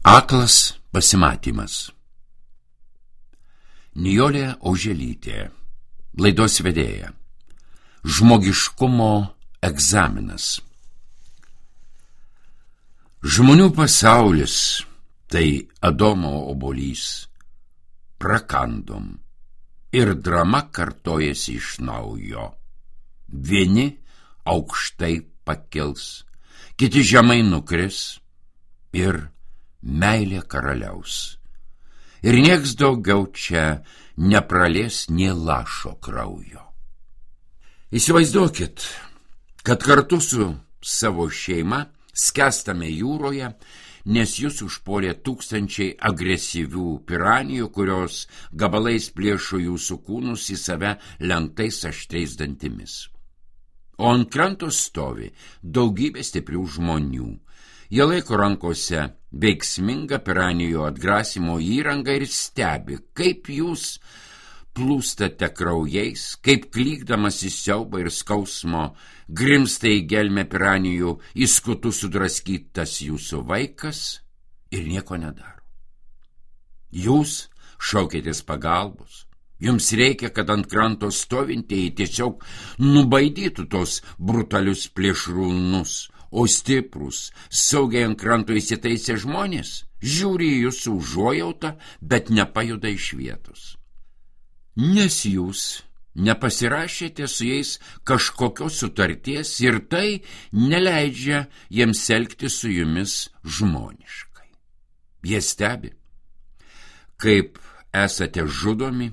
Aklas pasimatymas. Nijolė Oželytė, laidos vedėja. Žmogiškumo egzaminas. Žmonių pasaulis tai Adomo obuolys. Prakandom ir drama kartojasi iš naujo. Vieni aukštai pakils, kiti žemai nukris ir meilė karaliaus. Ir nieks daugiau čia nepralies nė lašo kraujo. Įsivaizduokit, kad kartu su savo šeima skęstame jūroje, nes jūs užpuolė tūkstančiai agresyvių piranijų, kurios gabalais plėšo jūsų kūnus į save lenktais aštriais dantimis. O ant kranto stovi daugybė stiprių žmonių. Jie laiko rankose veiksmingą piranijų atgrasimo įrangą ir stebi, kaip jūs plūstate kraujais, kaip klykdamas į siaubą ir skausmo grimsta į gelmę piranijų, į skutus sudraskytas jūsų vaikas ir nieko nedaro. Jūs šaukėtės pagalbos. Jums reikia, kad ant kranto stovintieji tiesiog nubaidytų tos brutalius plėšrūnus, o stiprus, saugiai ant kranto įsitaisę žmonės žiūri į jūsų užuojautą, bet nepajuda iš vietos. Nes jūs nepasirašėte su jais kažkokios sutarties ir tai neleidžia jiems elgtis su jumis žmoniškai. Jie stebi, kaip esate žudomi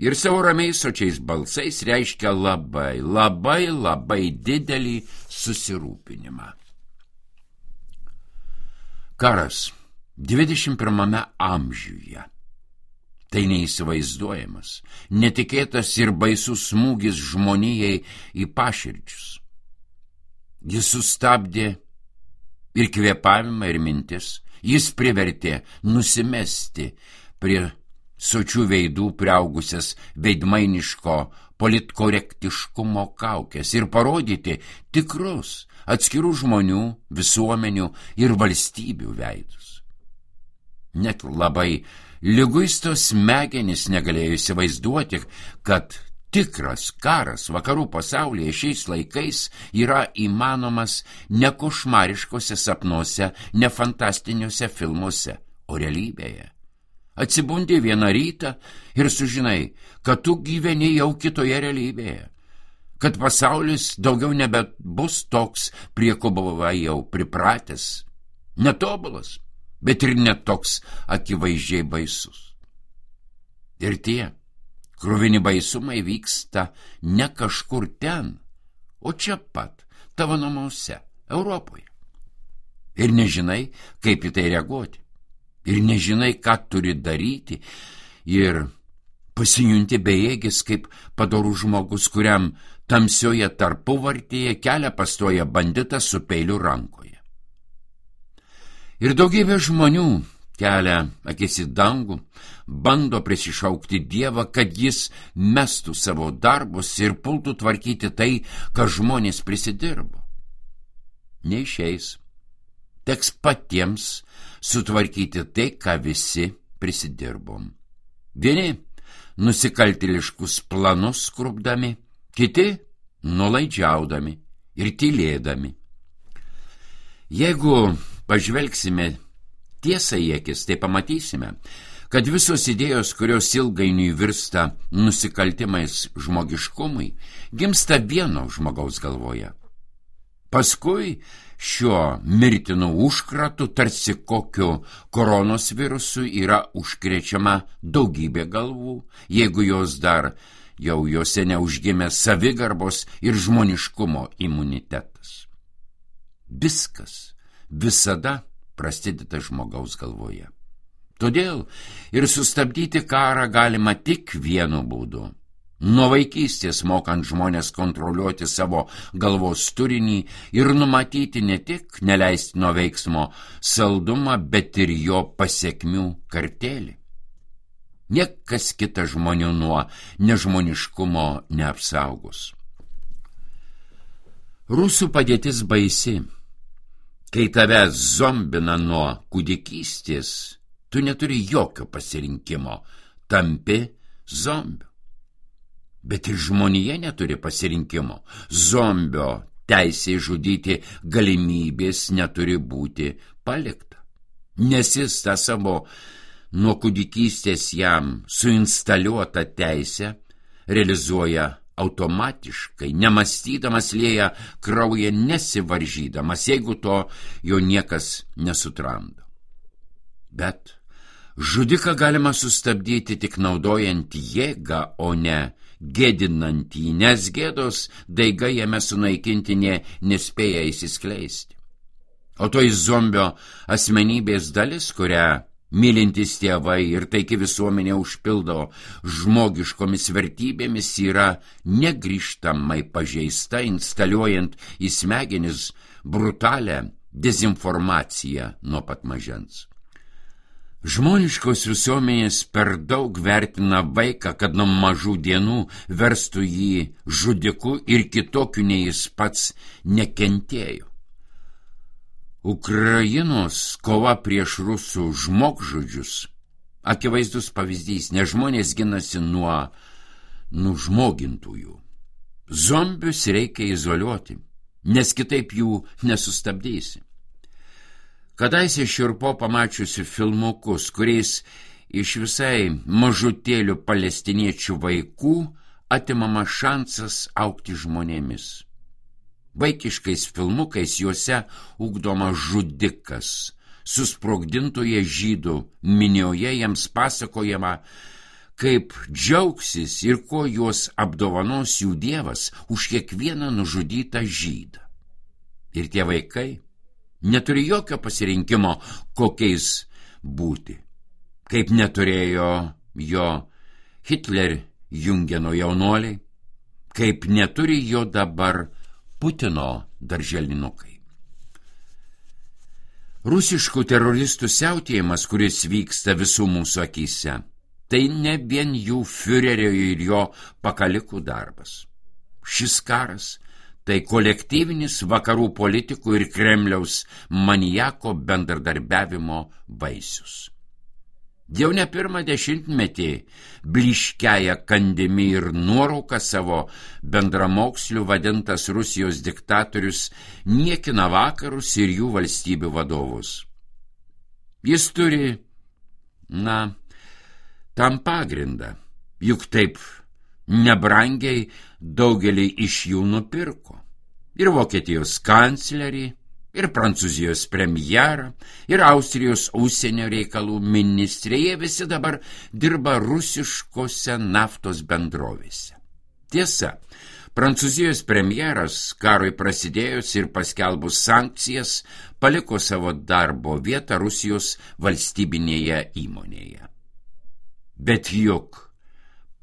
ir savo ramiais sočiais balsais reiškia labai didelį susirūpinimą. Karas 21 amžiuje. Tai neįsivaizduojamas, netikėtas ir baisus smūgis žmonijai į paširdžius. Jis sustabdė ir kvėpavimą, ir mintis. Jis privertė nusimesti prie sočių veidų priaugusias veidmainiško politkorektiškumo kaukės ir parodyti tikrus atskirų žmonių, visuomenių ir valstybių veidus. Net labai liguistos smegenys negalėjo įsivaizduoti, kad tikras karas vakarų pasaulyje šiais laikais yra įmanomas ne košmariškose sapnuose, ne fantastiniuose filmuose, o realybėje. Atsibundi vieną rytą ir sužinai, kad tu gyveni jau kitoje realybėje, kad pasaulis daugiau nebebus toks, prie ko buvai jau pripratęs, netobulas, bet ir netoks akivaizdžiai baisus. Ir tie kruvini baisumai vyksta ne kažkur ten, o čia pat, tavo namuose, Europoje. Ir nežinai, kaip į tai reaguoti. Ir nežinai, ką turi daryti, ir pasijunti bejėgis kaip padorus žmogus, kuriam tamsioje tarpuvartėje kelią pastoja banditas su peiliu rankoje. Ir daugybė žmonių kelia akis į dangų, bando prisišaukti Dievą, kad jis mestų savo darbus ir pultų tvarkyti tai, ką žmonės prisidirbo. Neišeis. Teks patiems sutvarkyti tai, ką visi prisidirbom. Vieni nusikaltėliškus planus skrubdami, kiti nulaidžiaudami ir tylėdami. Jeigu pažvelgsime tiesą į akis, tai pamatysime, kad visos idėjos, kurios ilgainiui virsta nusikaltimais žmogiškumui, gimsta vieno žmogaus galvoje. Paskui šiuo mirtinu užkratu, tarsi kokiu koronos virusu, yra užkrečiama daugybė galvų, jeigu jos dar jau jose neužgimė savigarbos ir žmoniškumo imunitetas. Viskas visada prasideda žmogaus galvoje. Todėl ir sustabdyti karą galima tik vienu būdu. Nuo vaikystės mokant žmonės kontroliuoti savo galvos turinį ir numatyti ne tik neleistino veiksmo saldumą, bet ir jo pasekmių kartėlį. Niekas kita žmonių nuo nežmoniškumo neapsaugos. Rusų padėtis baisi. Kai tave zombina nuo kūdikystės, tu neturi jokio pasirinkimo, tampi zombiu. Bet ir žmonija neturi pasirinkimo. Zombio teisė žudyti galimybės neturi būti palikta. Nes jis tą savo nuo kūdikystės jam suinstaliuotą teisę realizuoja automatiškai, nemąstydamas, lieja kraują nesivaržydamas, jeigu to jo niekas nesutramdo. Bet žudiką galima sustabdyti tik naudojant jėgą, o ne gėdinant jį, nes gėdos daiga jame sunaikinti nespėja įsiskleisti. O toji zombio asmenybės dalis, kurią mylintis tėvai ir taiki visuomenė užpildo žmogiškomis vertybėmis, yra negrįžtamai pažeista, instaliuojant į smegenis brutalią dezinformaciją nuo pat mažens. Žmoniškos visuomenės per daug vertina vaiką, kad nuo mažų dienų verstų jį žudiku ir kitokiu nei jis pats nekentėjo. Ukrainos kova prieš rusų žmogžudžius akivaizdus pavyzdys, nes žmonės ginasi nuo nužmogintųjų. Zombius reikia izoliuoti, nes kitaip jų nesustabdysi. Kadaise šiurpo pamačiusi filmukus, kuriais iš visai mažutėlių palestiniečių vaikų atimama šansas augti žmonėmis. Vaikiškais filmukais juose ugdoma žudikas, susprogdintoje žydų minioje jiems pasakojama, kaip džiaugsis ir ko juos apdovanos jų dievas už kiekvieną nužudytą žydą. Ir tie vaikai neturi jokio pasirinkimo, kokiais būti, kaip neturėjo jo Hitler-Jungeno jaunuoliai, kaip neturi jo dabar Putino darželinukai. Rusiškų teroristų siautėjimas, kuris vyksta visų mūsų akyse, tai ne vien jų fiurerio ir jo pakalikų darbas. Šis karas tai kolektyvinis vakarų politikų ir Kremliaus maniako bendradarbiavimo vaisius. Jau ne pirmą dešimtmetį blyškiaja kandimi ir nuorauka savo bendramokslių vadintas Rusijos diktatorius niekina vakarus ir jų valstybių vadovus. Jis turi, tam pagrindą, juk taip nebrangiai daugelį iš jų nupirko. Ir Vokietijos kanclerį, ir Prancūzijos premjerą, ir Austrijos užsienio reikalų ministrė, jie visi dabar dirba rusiškose naftos bendrovėse. Tiesa, Prancūzijos premjeras karui prasidėjus ir paskelbus sankcijas paliko savo darbo vietą Rusijos valstybinėje įmonėje. Bet juk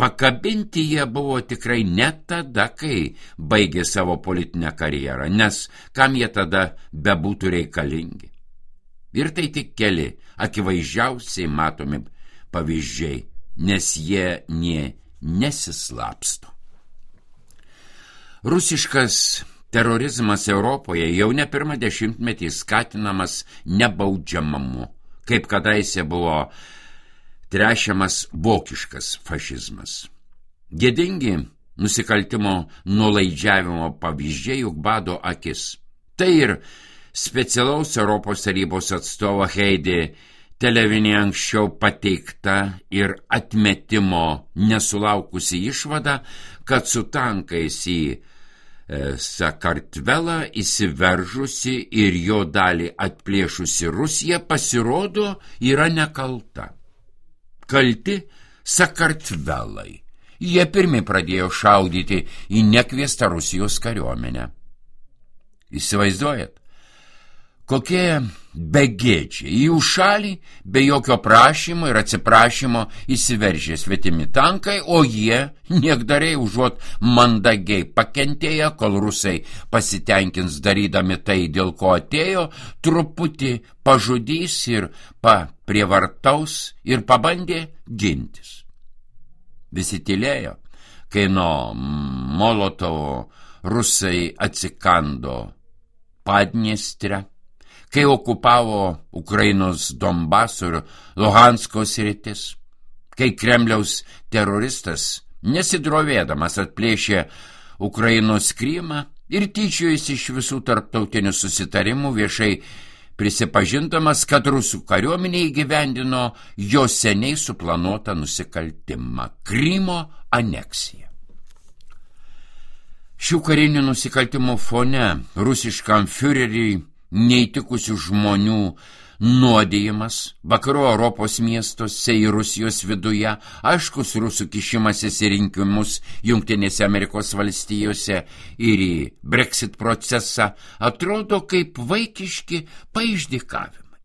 pakabinti jie buvo tikrai ne tada, kai baigė savo politinę karjerą, nes kam jie tada bebūtų reikalingi. Ir tai tik keli akivaizdžiausiai matomi pavyzdžiai, nes jie nesislapsto. Rusiškas terorizmas Europoje jau ne pirmą dešimtmetį skatinamas nebaudžiamumu, kaip kadaise buvo trešiamas vokiškas fašizmas. Gėdingi nusikaltimo nuolaidžiavimo pavyzdžiai juk bado akis. Tai ir specialaus Europos tarybos atstovo Heidi Televinė anksčiau pateikta ir atmetimo nesulaukusi išvada, kad su tankais į Sakartvelą įsiveržusi ir jo dalį atplėšusi Rusija pasirodo yra nekalta. Kalti Sakartvelai. Jie pirmi pradėjo šaudyti į nekviestą Rusijos kariuomenę. Įsivaizduojat, kokie begėdžiai į jų šalį be jokio prašymo ir atsiprašymo įsiveržė svetimi tankai, o jie niekdariai užuot mandagiai pakentėję, kol rusai pasitenkins darydami tai, dėl ko atėjo, truputį pažudys ir prievartaus ir pabandė gintis. Visi tylėjo, kai nuo Molotovo rusai atsikando Padniestrę, kai okupavo Ukrainos Donbaso ir Luhansko sritis, kai Kremliaus teroristas nesidrovėdamas atplėšė Ukrainos Krymą ir tyčiojasi iš visų tarptautinių susitarimų, viešai prisipažindamas, kad rusų kariuomenė įgyvendino jo seniai suplanuotą nusikaltimą – Krymo aneksiją. Šių karinių nusikaltimų fone rusiškam fiureriui neįtikusių žmonių nuodijimas vakarų Europos miestuose ir Rusijos viduje, aiškus rusų kišimasis į rinkimus Jungtinėse Amerikos valstijose ir į Brexit procesą atrodo kaip vaikiški paišdykavimai.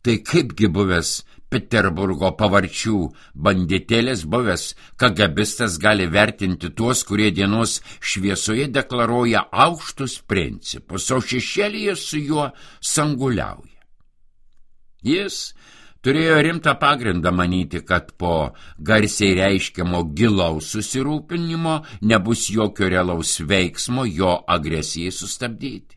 Tai kaipgi buvęs Peterburgo pavarčių banditėlis, buvęs kagabistas gali vertinti tuos, kurie dienos šviesoje deklaruoja aukštus principus, o šešėlyje su juo sanguliauja. Jis turėjo rimtą pagrindą manyti, kad po garsiai reiškiamo gilaus susirūpinimo nebus jokio realaus veiksmo jo agresijai sustabdyti.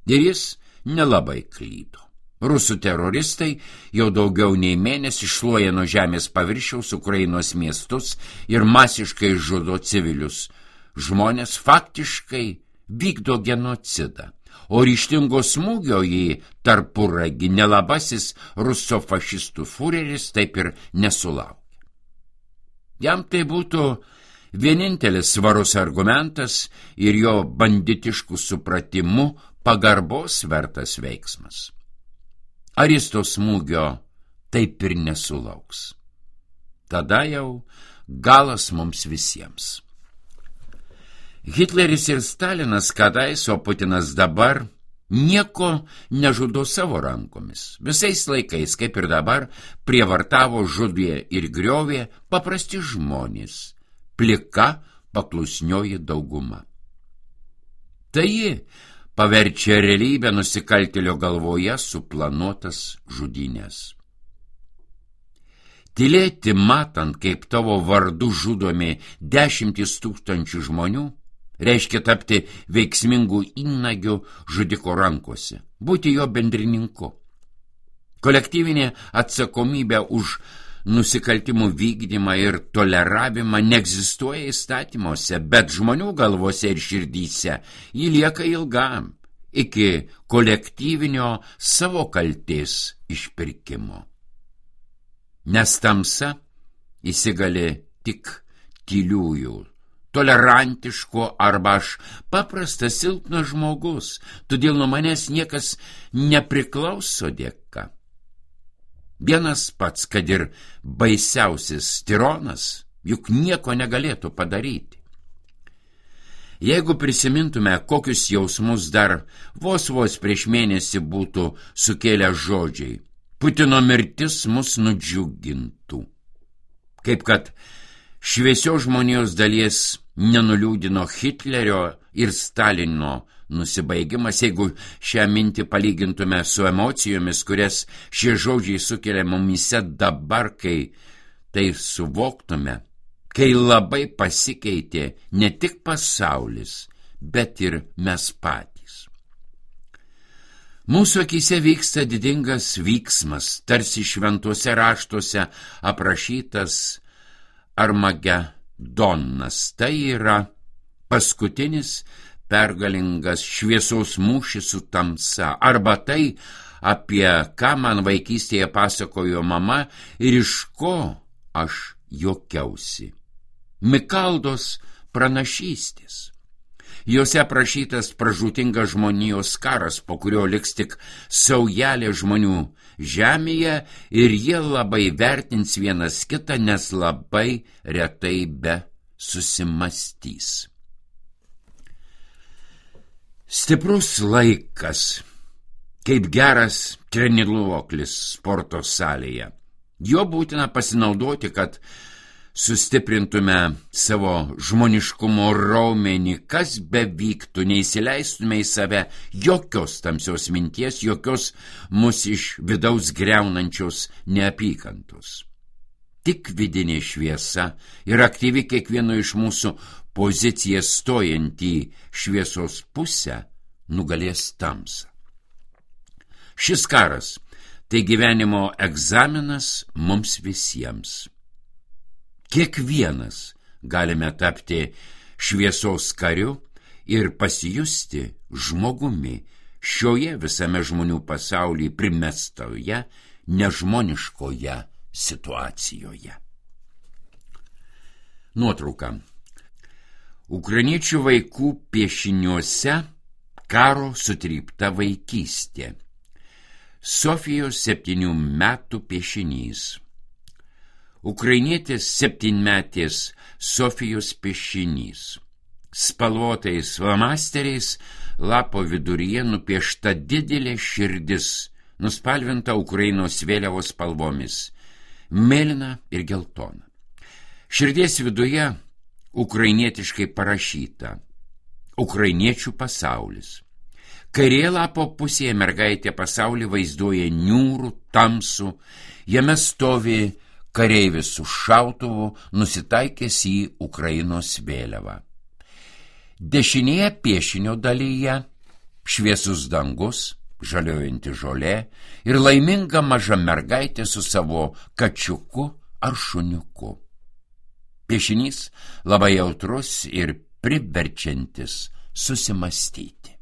Ir jis nelabai klydo. Rusų teroristai jau daugiau nei mėnesį šluoja nuo žemės paviršiaus Ukrainos miestus ir masiškai žudo civilius. Žmonės faktiškai vykdo genocidą, o ryžtingo smūgio į tarpuragį nelabasis rusofašistų fureris taip ir nesulaukė. Jam tai būtų vienintelis svarus argumentas ir jo banditiškų supratimu pagarbos vertas veiksmas. Ar jis to smūgio taip ir nesulauks? Tada jau galas mums visiems. Hitleris ir Stalinas kadais, o Putinas dabar nieko nežudo savo rankomis. Visais laikais, kaip ir dabar, prievartavo, žudė ir griovė paprasti žmonės, plika paklusnioji dauguma. Tai ji paverčia realybę nusikaltėlio galvoje suplanuotas žudynės. Tylėti matant, kaip tavo vardu žudomi 10 000 žmonių, reiškia tapti veiksmingų įnagių žudiko rankose, būti jo bendrininku. Kolektyvinė atsakomybė už nusikaltimų vykdymą ir toleravimą neegzistuoja įstatymuose, bet žmonių galvose ir širdyse jį lieka ilgam, iki kolektyvinio savo kaltės išpirkimo. Nes tamsa įsigali tik tyliųjų, tolerantiško arba aš paprastas silpnas žmogus, todėl nuo manęs niekas nepriklauso dėka. Vienas pats, kad ir baisiausias tironas, juk nieko negalėtų padaryti. Jeigu prisimintume, kokius jausmus dar vos prieš mėnesį būtų sukėlę žodžiai, Putino mirtis mus nudžiugintų. Kaip kad šviesios žmonijos dalies nenuliūdino Hitlerio ir Stalino nusibaigimas, jeigu šią mintį palygintume su emocijomis, kurias šie žodžiai sukelia mumyse dabar, kai tai suvoktume, kai labai pasikeitė ne tik pasaulis, bet ir mes patys. Mūsų akyse vyksta didingas vyksmas, tarsi šventuose raštuose aprašytas Armagedonas. Tai yra paskutinis pergalingas šviesos mūšis su tamsa, arba tai, apie ką man vaikystėje pasakojo mama ir iš ko aš juokiausi. Mikaldos pranašystės. Jose aprašytas pražūtingas žmonijos karas, po kurio liks tik saujelė žmonių žemėje ir jie labai vertins vienas kitą, nes labai retai be susimastys. Stiprus laikas, kaip geras treniruoklis sporto salėje. Jo būtina pasinaudoti, kad sustiprintume savo žmoniškumo raumenį, kas bevyktų, neįsileistume į save jokios tamsios minties, jokios mus iš vidaus greunančios neapykantos. Tik vidinė šviesa ir aktyvi kiekvieno iš mūsų pozicija stojant į šviesos pusę nugalės tamsą. Šis karas tai gyvenimo egzaminas mums visiems. Kiekvienas galime tapti šviesos kariu ir pasijusti žmogumi šioje visame žmonių pasaulyje primestoje nežmoniškoje situacijoje. Nuotrauka. Ukrainiečių vaikų piešiniuose karo sutrypta vaikystė. Sofijos 7 metų piešinys. Ukrainietės 7-metės Sofijos piešinys. Spalvotais flomasteriais lapo viduryje nupiešta didelė širdis, nuspalvinta Ukrainos vėliavos spalvomis – mėlyna ir geltona. Širdies viduje ukrainietiškai parašyta Ukrainiečių pasaulis. Kairėje lapo pusėje mergaitė pasaulį vaizduoja niūrų, tamsų, jame stovi kareivis su šautuvu, nusitaikęs į Ukrainos vėliavą. Dešinėje piešinio dalyje šviesus dangus, žaliojanti žolė ir laiminga maža mergaitė su savo kačiuku ar šuniuku. Piešinys labai jautrus ir priverčiantis susimastyti.